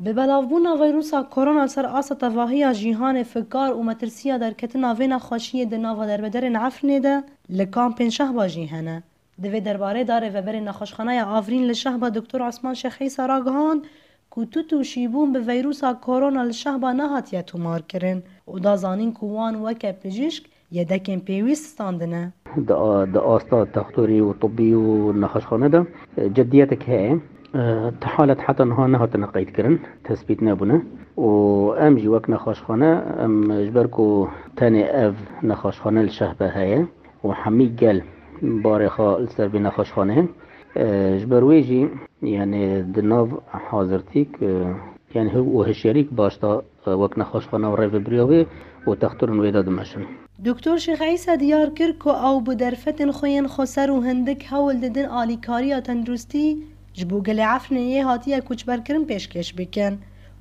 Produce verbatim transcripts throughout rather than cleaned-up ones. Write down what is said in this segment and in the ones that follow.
Bi belavbûna vîrusa korona li ser asta tevahiya cîhanê fikar û metirsiya derketina vê nexweşiyê di nava derbederên Efrînê de li kampên Şehba jî hene. Di vê derbarê de rêveberê nexweşxaneya Avrîn li Şehba Doktor Osman Şêx Îsa ragihand ku tut û şîbûn bi vîrusa korona li Şehba nehatiye tomarkirin û da zanîn ku wan weke pijîşk yedekên pêwîst standine. Di a-, di asta textorî û tibbî û nexweşxane de, e, ciddiyetek heye. E, ti halet heta niha nehatine qeydkirin, tespît nebûne. Û em jî wek nexweşxane, em ji ber ku tenê ev nexweşxane li Şehbe heye û hemî gel barê xwe li ser vê nexweşxanê, e, ji ber wê jî, yani di nav hazirtîk, e, yani û hişyarîk baş da, e, wek nexweşxane û rêvebiriya wê û textorên wê de dimeşin. Doktor Şêx Îsa diyar kir ku ew bi derfetên xwe yên xweser û hindik hewl didin alîkariya tenduristî ji bo gelê Efrînê yê hatiye koçberkirin pêşkêş bikin,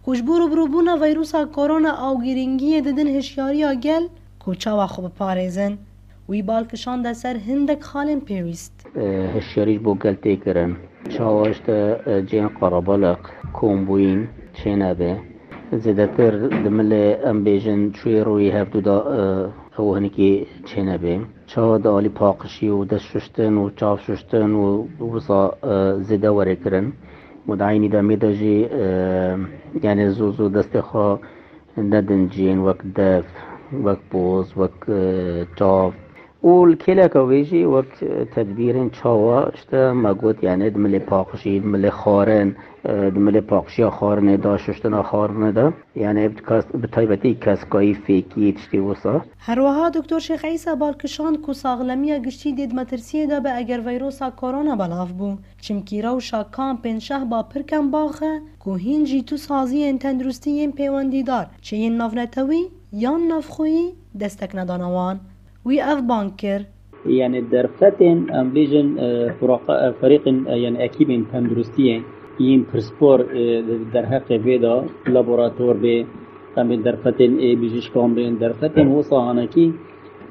ku ji bo rûbirûbûna vîrusa korona ew girîngiyê didin hişyariya gel ku çawa xwe biparêzin. Wî bal kişande ser hindek xalên pêwîst. E, hişyarî ji bo gel tê kirin. Çawa işte, e, cihên qerebalix, kombûyîn çênebe. Zêdetir di milê, em bêjin, çûyê rûyê hevdû de, e, ew hinekî çênebe. Çawa di alî paqişî û dest şuştin û çav şuştin û wisa, e, zêde were kirin. Û di eynî demê de jî, e, yani zû zû destê xwe nedin cihên wek def, wek poz, wek, e, çav. Û li kêleka wê jî wek, e, tedbîrên çawa, işte me got, yani di milê paqijî, di milê xwarin, e, di milê paqişiya xwarinê de, şuştina xwarinê de, yani bi kas-, bi taybetî keskayî, fêkî, tiştê wisa. Her wiha Doktor Şêx Îsa bal kişand ku saxlemiya giştî dê di metirsiyê de be eger vîrusa korona belav bû. Çimkî rewşa kampên Şehba pir kembax e ku hîn jî tu saziyên tenduristî yên pêwendîdar, çi yên navnetewî yan navxweyî destek nedane wan. Wî ev bang kir. Yani derfetên, em bêjin, e, furaqa-, e, ferîqên, e, yani ekîbên tenduristiyê yên pirsbor, e, derheqê vê de laborator bê, em bên derfetên ê bijîşkan bên, derfetên wisa hanekî,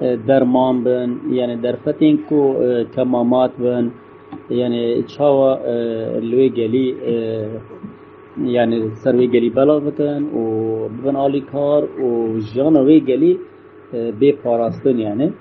e, derman bin, yani derfetên ku, e, kemamat bin, yani çawa, e, li wê gelî, e, yani ser wê gelî belav bikin û bibin alîkar û jiyana wê gelî, e, bê parastin yani.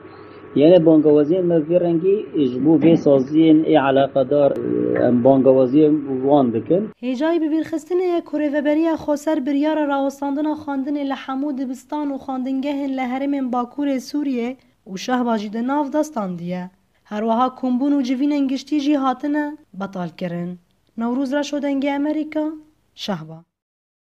Yani bangawaziyên me vê rengî ji bo vê saziyên ê eleqedar, e, em bangawaziyên wan dikin. Hêjayî bibîrxistinê ye ku Rêveberiya Xweser biryara rawestandina xwendinê li hemû dibistan û xwendingehên li herêmên Bakurê Sûriyê û Şehba jî di nav de standiye. Her wiha kombûn û civînên giştî jî hatine betalkirin. Newroz Reşo, Dengê Amerîka, Şehba.